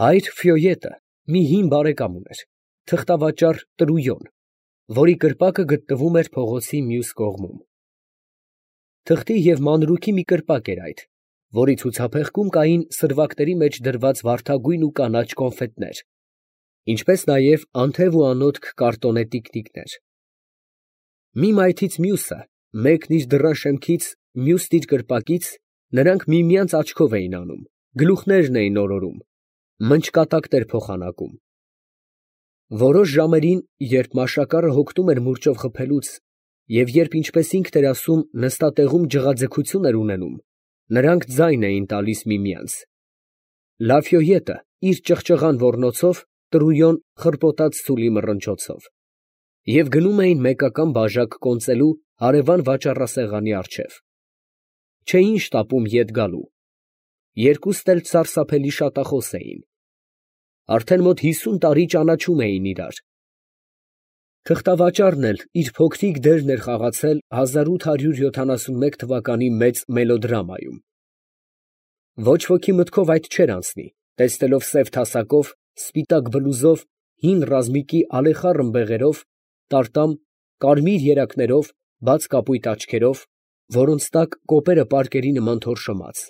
Հայր Ֆյոյետը մի հին բարեկամ ուներ, թղթավաճառ Տրույոն, որի կրպակը գտնվում էր փողոցի մյուս կողմում։ Թղթի և մանրուքի մի կրպակ էր այդ, որի ցուցափեղկում կային սրվակների մեջ դրված վարդագույն ու կանաչ կոնֆետներ, ինչպես նաև անթև ու անոթք կարտոնե տիկնիկներ։ Մի մայթից մյուսը, մեկն իր դռան շեմքից, մյուսն իր կրպակից, նրանք միմյանց աչքով էին անում, գլուխներն էին օրորում, մնճկատակներ փոխանակում։ Որոշ ժամերին, երբ մաշակառը հոգնում էր մուրճով խփելուց, և երբ, ինչպես ինքն էր ասում, նստատեղում ջղաձգություն էր ունենում, նրանք ձայն էին տալիս միմյանց։ Լաֆյոյետը իր ճղճղան ոռնոցով, Տրույոն խռպոտած ցուլի մռնչոցով, և գնում էին մեկական բաժակ կոնծելու հարևան վաճառասեղանի առջև։ Չէին շտապում ետ գալու։ Երկուստ էլ սարսափելի շատախոս էին։ Արդեն մոտ 50 տարի ճանաչում էին իրար։ Թղթավաճառն էլ իր փոքրիկ դերն էր խաղացել 1871 թվականի մեծ մելոդրամայում։ Ոչ ոքի մտքով այդ չէր անցնի, տեսնելով սև թասակով, սպիտակ բլուզով, հին ռազմիկի ալեխառն բեղերով, տարտամ, կարմիր երակներով, բաց կապույտ աչքերով, որոնց տակ կոպերը պարկերի նման թորշոմած,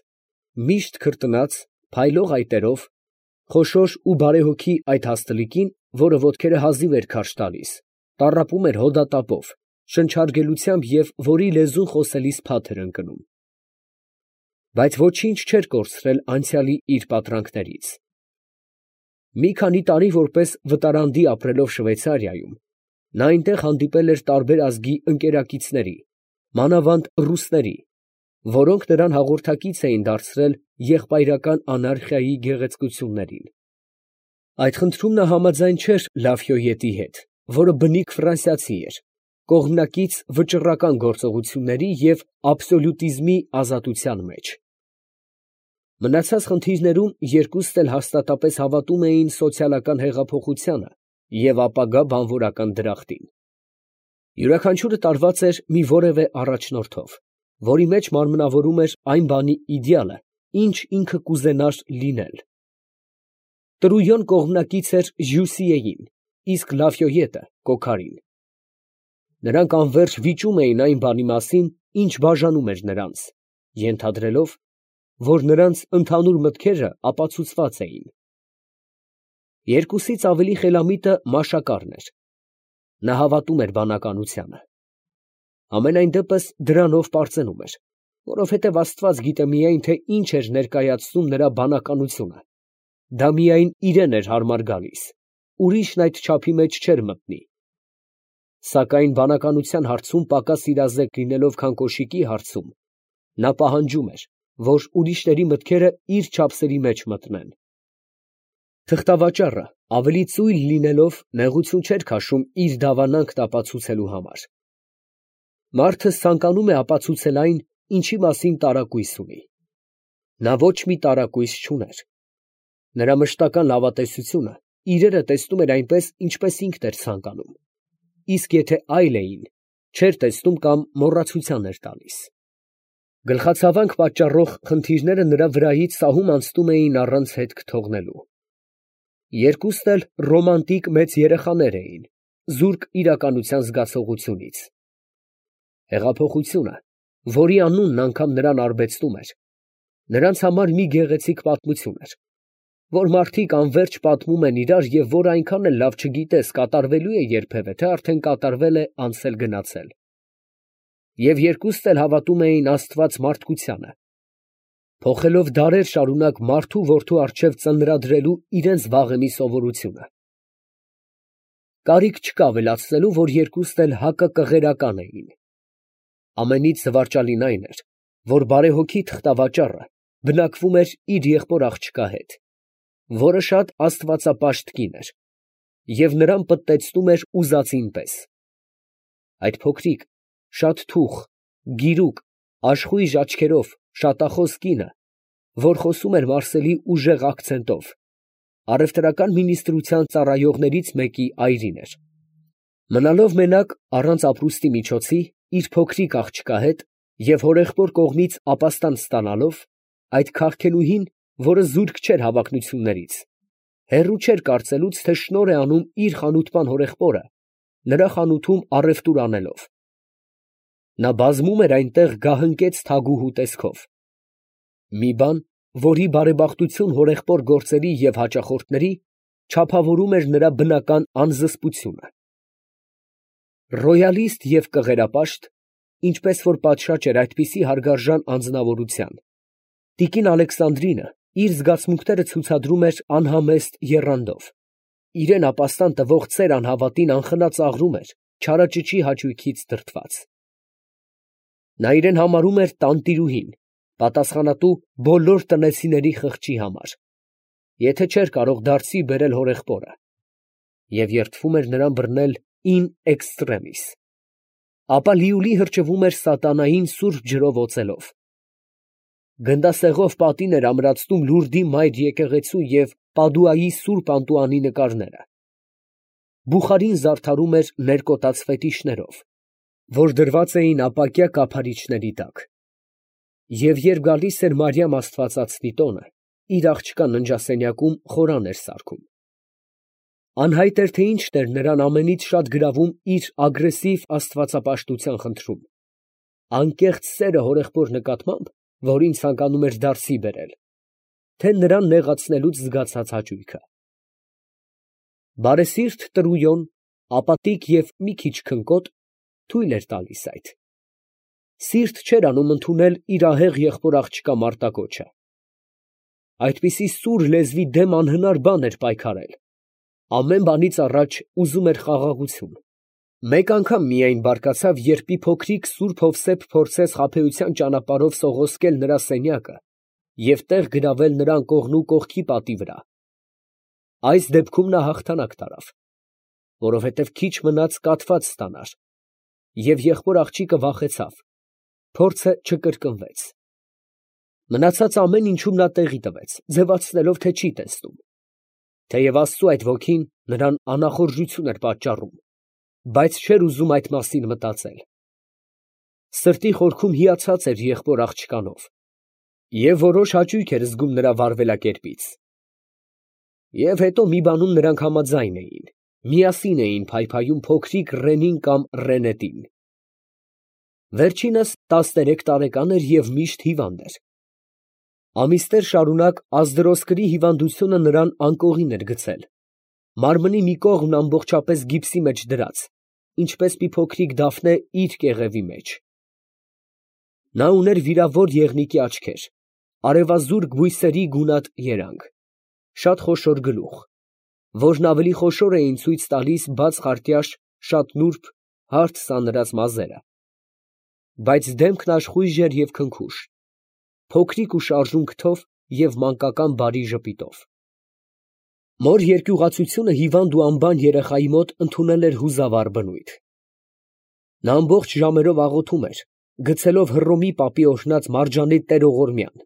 միշտ քրտնած, փայլող այտերով, խոշոր ու բարեհոգի այդ հաստլիկին, որը ոտքերը հազիվ էր քարշ տալիս, տառապում էր հոդատապով, շնչարգելությամբ և որի լեզուն խոսելիս փաթ էր ընկնում։ Բայց ոչինչ չէր կորցրել անցյալի իր պատրանքներից։ Մի քանի տարի որպես վտարանդի ապրելով Շվեյցարիայում, նա այնտեղ հանդիպել էր տարբեր ազգի ընկերակիցների, մանավանդ ռուսների, որոնք նրան հաղորդակից էին դարձրել եղբայրական անարխիայի գեղեցկություններին։ Այդ խնդրում նա համաձայն չէր Լաֆյոյետի հետ, որը բնիկ ֆրանսիացի էր, կողմնակից վճռական գործողությունների և աբսոլյուտիզմի ազատության մեջ։ Մնացած խնդիրներում երկուստ էլ հաստատապես հավատում էին սոցիալական հեղափոխությանը և ապագա բանվորական դրախտին։ Յուրաքանչյուրը տարված էր մի որևէ առաջնորդով, որի մեջ մարմնավորում էր այն բանի իդեալը, ինչ ինքը կուզենար լինել։ Տրույոն կողմնակից էր Ժյուսիեին, իսկ Լաֆյոյետը՝ Կոքարին։ Նրանք անվերջ վիճում էին այն բանի մասին, ինչ բաժանում էր նրանց, ենթադրելով, որ նրանց ընդհանուր մտքերը ապացուցված էին։ Երկուսից ավելի խելամիտը մաշակառն էր։ Նա հավատում էր բանականությանը։ Համենայն դեպս դրանով պարծենում էր, որովհետև Աստված գիտե միայն, թե ինչ էր ներկայացնում նրա բանականությունը. դա միայն իրան էր հարմար գալիս, ուրիշն այդ չափի մեջ չէր մտնի։ Սակայն բանականության հարցում պակաս իրազեկ լինելով, քան կոշիկի հարցում, նա պահանջում էր, որ ուրիշների մտքերը իր չափսերի մեջ մտնեն։ Թղթավաճառը, ավելի ծույլ լինելով, նեղություն չէր քաշում իր դավանանքն ապացուցելու համար։ Մարդը ցանկանում է ապացուցել այն, ինչի մասին տարակույս ունի։ Նա ոչ մի տարակույս չուներ։ Նրա մշտական լավատեսությունը իրերը տեսնում էր այնպես, ինչպես ինքն էր ցանկանում, իսկ եթե այլ էին, չէր տեսնում կամ մոռացության էր տալիս։ Գլխացավանք պատճառող խնդիրները նրա վրայից սահում անցնում էին առանց հետք թողնելու։ Երկուստ էլ ռոմանտիկ մեծ երեխաներ էին, զուրկ իրականության զգացողությունից։ Հեղափոխությունը, որի անունն անգամ նրան արբեցնում էր, նրանց համար մի գեղեցիկ պատմություն էր, որ մարդիկ անվերջ պատմում են իրար և որ այնքան էլ լավ չգիտես կատարվելու է երբևէ, թե արդեն կատարվել է անցել գնացել։ Եվ երկուստ էլ հավատում էին Աստված մարդկությանը, փոխելով դարեր շարունակ մարդու որդու առջև ծնրադրելու իրենց վաղեմի սովորությունը։ Կարիք չկա ավելացնելու, որ երկուստ էլ հակակղերական էին։ Ամենից զվարճալին այն էր, որ բարեհոգի թղթավաճառը բնակվում էր իր եղբոր աղջկա հետ, որը շատ աստվածապաշտ կին էր, և նրան պտտեցնում էր ուզածին պես։ Այդ փոքրիկ, շատ թուխ, գիրուկ, աշխույժ աչքերով, շատախոս կինը, որ խոսում էր մարսելի ուժեղ ակցենտով, առևտրական մինիստրության ծառայողներից մեկի այրին էր։ Մնալով մենակ, առանց ապրուստի միջոցի, իր փոքրիկ աղջկա հետ և հորեղբոր կողմից ապաստան ստանալով, այդ քարքենուհին, որը զուրկ չէր հավակնություններից, Հեռու չէր կարծելուց, թե շնորհ է անում իր խանութպան հորեղբորը, նրա խանութում առևտուր անելով։ Նա բազմում էր այնտեղ գահընկեց թագուհու տեսքով։ Մի բան, որի բարեբախտություն հորեղբոր գործերի և հաճախորդների չափավորում էր նրա բնական անզսպությունը։ Ռոյալիստ և կղերապաշտ, ինչպես որ պատշաճ էր այդպիսի հարգարժան անձնավորության, տիկին Ալեքսանդրինը իր զգացմունքները ցուցադրում էր անհամեստ եռանդով, իրան ապաստան տվող ծեր անհավատին անխնա ծաղրում էր չարաճճի հաճույքից դրդված։ Նա իրեն համարում էր տանտիրուհին, պատասխանատու բոլոր տնեցիների խղճի համար, եթե չէր կարող դարձի բերել հորեղբորը, և երդվում էր նրան բռնել in extremis, ապա լիուլի հրճվում էր սատանային սուրբ ջրով օծելով։ Գնդասեղով պատին էր ամրացնում Լուրդի մայր եկեղեցու և Պադուայի սուրբ Անտուանի նկարները։ Բուխարին զարդարում էր ներկոտած ֆետիշներով, որ դրված էին ապակյա կափարիչների տակ, և երբ գալիս էր Մարիամ Աստվածածնի տոնը, իր աղջկա ննջասենյակում խորան էր սարքում։ Անհայտ էր, թե ինչն էր նրան ամենից շատ գրավում իր ագրեսիվ աստվածապաշտության խնդրում, անկեղծ սերը հորեղբոր նկատմամբ, որին ցանկանում էր դարձի բերել, թե նրան նեղացնելուց զգացած հաճույքը։ Բարեսիրտ Տրույոն, ապատիկ և մի քիչ քնկոտ, թույլ էր տալիս այդ։ Սիրտ չէր անում ընդունել իր ահեղ եղբոր աղջկա մարտակոչը։ Այդպիսի սուր լեզվի դեմ անհնար բան էր պայքարել, ամեն բանից առաջ ուզում էր խաղաղություն։ Մեկ անգամ միայն բարկացավ, երբ մի փոքրիկ սուրբ Հովսեփ փորձեց խաբեության ճանապարհով սողոսկել նրա սենյակը և տեղ գրավել նրան կողնու կողքի պատի վրա։ Այս դեպքում նա հաղթանակ տարավ, որովհետև քիչ մնաց կաթված ստանար, և եղբոր աղջիկը վախեցավ, փորձը չկրկնվեց։ Մնացած ամեն ինչում նա տեղի տվեց, ձևացնելով, թե չի տեսնում, թեև Աստծու այդ ոգին նրան անախորժություն էր պատճառում, բայց չէր ուզում այդ մասին մտածել։ Սրտի խորքում հիացած էր եղբոր աղջկանով և որոշ հաճույք էր զգում նրա վարվելակերպից։ Եվ հետո մի բանում նրանք համաձայն էին, միասին էին փայփայում փոքրիկ Ռենին կամ Ռենետին։ Վերջինս 13 տարեկան էր և միշտ հիվանդ էր։ Ամիսներ շարունակ ազդրոսկրի հիվանդությունը նրան անկողին էր գցել, մարմնի մի կողմն ամբողջապես գիպսի մեջ դրած, ինչպես մի փոքրիկ դափնե իր կեղևի մեջ։ Նա ուներ վիրավոր եղնիկի աչքեր, արևազուրկ բույսերի գունատ երանգ, շատ խոշոր գլուխ, որն ավելի խոշոր էին ցույց տալիս բաց խարտյաշ, շատ նուրբ, հարթ սանրած մազերը, բայց դեմքն աշխույժ էր և քնքուշ, փոքրիկ ու շարժուն քթով և մանկական բարի ժպիտով։ Մոր երկյուղացությունը հիվանդ ու անբան երեխայի մոտ ընդունել էր հուզավառ բնույթ։ Նա ամբողջ ժամերով աղոթում էր, գցելով Հռոմի պապի օրհնած մարջանե տերողորմյան,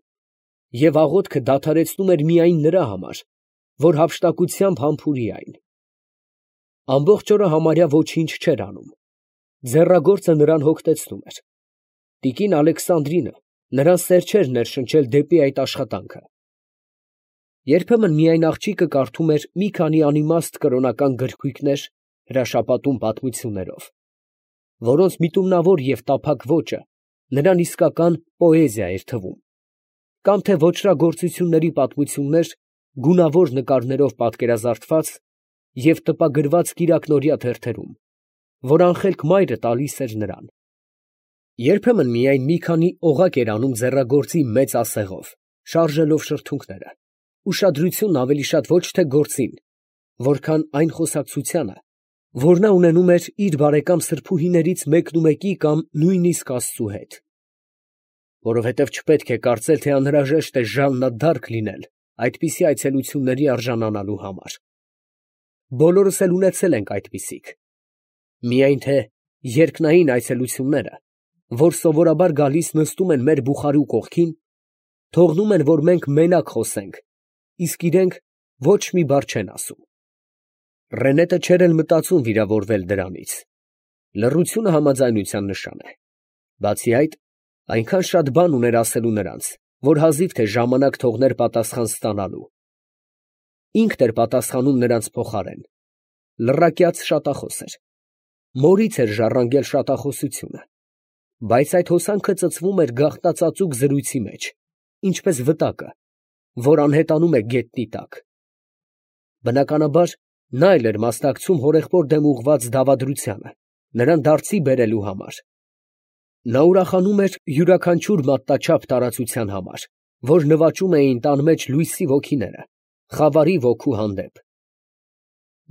և աղոթքը դադարեցնում էր միայն նրա համար, որ հափշտակությամբ համբուրի այն։ Ամբողջ օրը համարյա ոչինչ չէր անում, ձեռագործը նրան հոգնեցնում էր։ Տիկին Ալեքսանդրինը նրան սեր չէր ներշնչել դեպի այդ աշխատանքը։ Երբեմն միայն աղջիկը կարդում էր մի քանի անիմաստ կրոնական գրքույկներ հրաշապատում պատմություններով, որոնց միտումնավոր և տափակ ոճը նրան իսկական պոեզիա էր թվում, կամ թե ոճրագործությունների պատմություններ գունավոր նկարներով պատկերազարդված և տպագրված կիրակնօրյա թերթերում, որ անխելք մայրը տալիս էր նրան։ Երբեմն միայն մի քանի օղակ էր անում ձեռագործի մեծ ասեղով, շարժելով շրթունքները, ուշադրությունն ավելի շատ ոչ թե գործին, որքան այն խոսակցությանը, որ նա ունենում էր իր բարեկամ սրբուհիներից մեկնումեկի կամ նույնիսկ Աստծու հետ։ Որովհետև չպետք է կարծել, թե անհրաժեշտ է ժաննադարք լինել այդպիսի այցելությունների արժանանալու համար։ Բոլորս էլ ունեցել ենք այդպիսիք։ Միայն թե երկնային այցելությունները, որ սովորաբար գալիս նստում են մեր բուխարու կողքին, թողնում են, որ մենք մենակ խոսենք, իսկ իրենք ոչ մի բառ չեն ասում։ Ռենետը չէր էլ մտածում վիրավորվել դրանից։ Լռությունը համաձայնության նշան է։ Բացի այդ, այնքան շատ բան ուներ ասելու նրանց, որ հազիվ թե ժամանակ թողներ պատասխան ստանալու։ ինքն էր պատասխանում նրանց փոխարեն։ Լռակյաց շատախոս էր։ Մորից էր ժառանգել շատախոսությունը, բայց այդ հոսանքը ծծվում էր գաղտնածածուկ զրույցի մեջ, ինչպես վտակը, որ անհետանում է գետնի տակ։ Բնականաբար, նա էլ էր մասնակցում հորեղբոր դեմ ուղղված դավադրությանը, նրան դարձի բերելու համար։ Նա ուրախանում էր յուրաքանչյուր մատնաչափ տարածության համար, որ նվաճում էին տան մեջ լույսի ոգիները, խավարի ոգու հանդեպ։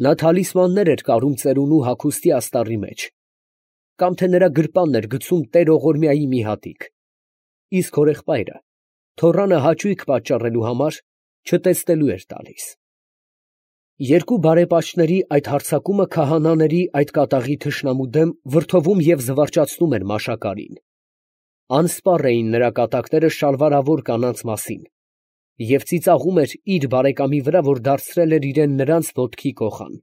Նա թալիսմաններ էր կարում ծերունու հագուստի աստառի մեջ, կամ թե նրա գրպանն էր գցում տեր Ողորմյայի մի հատիկ, իսկ հորեղբայրը թոռանը հաճույք պատճառելու համար չտեսնելու էր տալիս։ Երկու բարեպաշտների այդ հարձակումը քահանաների այդ կատաղի թշնամու դեմ վրդովում և զվարճացնում էր Մաշակարին։ Անսպառ էին նրա կատակները շալվարավոր կանանց մասին և ծիծաղում էր իր բարեկամի վրա, որ դարձրել էր իրեն նրանց ոտքի կոխան։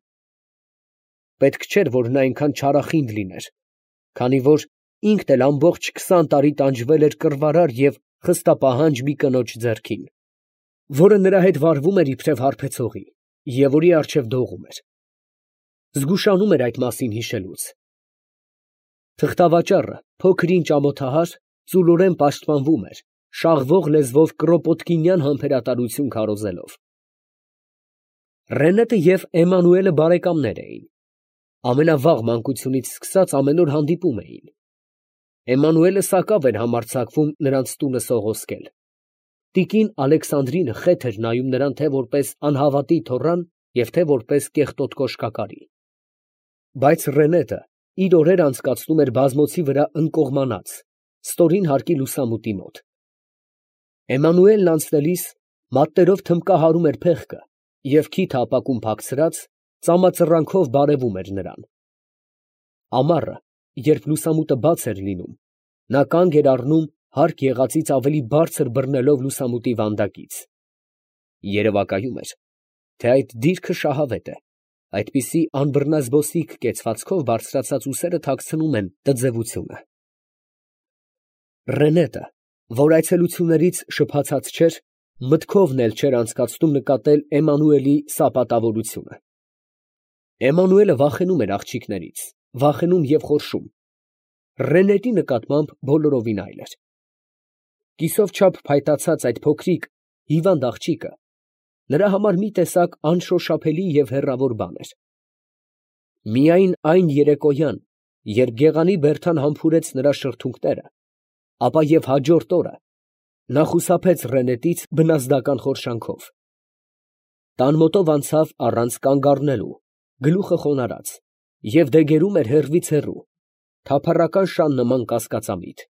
Պետք չէր, որ նա այնքան չարախինդ լիներ, քանի որ ինքն էլ ամբողջ 20 տարի տանջվել էր կռվարար և խստապահանջ մի կնոջ ձեռքին, որը նրա հետ վարվում էր իբրև հարբեցողի և որի առջև դողում էր։ Զգուշանում էր այդ մասին հիշելուց։ Թղթավաճառը, փոքր ինչ ամոթահար, ծուլորեն պաշտպանվում էր, շաղվող լեզվով Կրոպոտկինյան համբերատարություն քարոզելով։ Ռենետը և Էմանուելը բարեկամներ էին։ Ամենավաղ մանկությունից սկսած ամեն օր հանդիպում էին։ Էմանուելը սակավ էր համարձակվում նրանց տունը սողոսկել։ Տիկին Ալեքսանդրինը խեթ էր նայում նրան թե որպես անհավատի թոռան և թե որպես կեղտոտ կոշկակարի։ Բայց Ռենետը իր օրերը անցկացնում էր բազմոցի վրա ընկողմանած, ստորին հարկի լուսամուտի մոտ։ Էմանուելն անցնելիս մատներով թմբկահարում էր փեղկը և քիթը ապակուն փակցրած, ծամածռանքով բարևում էր նրան։ Ամառը, երբ լուսամուտը բաց էր լինում, նա կանգ էր առնում հարկ եղածից ավելի բարձր բռնելով լուսամուտի վանդակից։ Երևակայում էր, թե այդ դիրքը շահավետ է, այդպիսի անբռնազբոսիկ կեցվածքով բարձրացած ուսերը թաքցնում են տձևությունը։ Ռենետը, որ այցելություններից շփացած չէր, մտքովն էլ չէր անցկացնում նկատել Էմանուելի սապատավորությունը։ Էմանուելը վախենում էր աղջիկներից, վախենում և խորշում։ Ռենետի նկատմամբ բոլորովին այլ էր։ Կիսով չափ փայտացած այդ փոքրիկ հիվանդ աղջիկը նրա համար մի տեսակ անշոշափելի և հեռավոր բան էր։ Միայն այն երեկոյան, երբ գեղանի Բերդան համբուրեց նրա շրթունքները, ապա և հաջորդ օրը նա խուսափեց Ռենետից բնազդական խորշանքով։ Տան մոտով անցավ առանց կանգ առնելու, գլուխը խոնարհած, և դեգերում էր հեռվից հեռու, թափառական շան նման կասկածամիտ։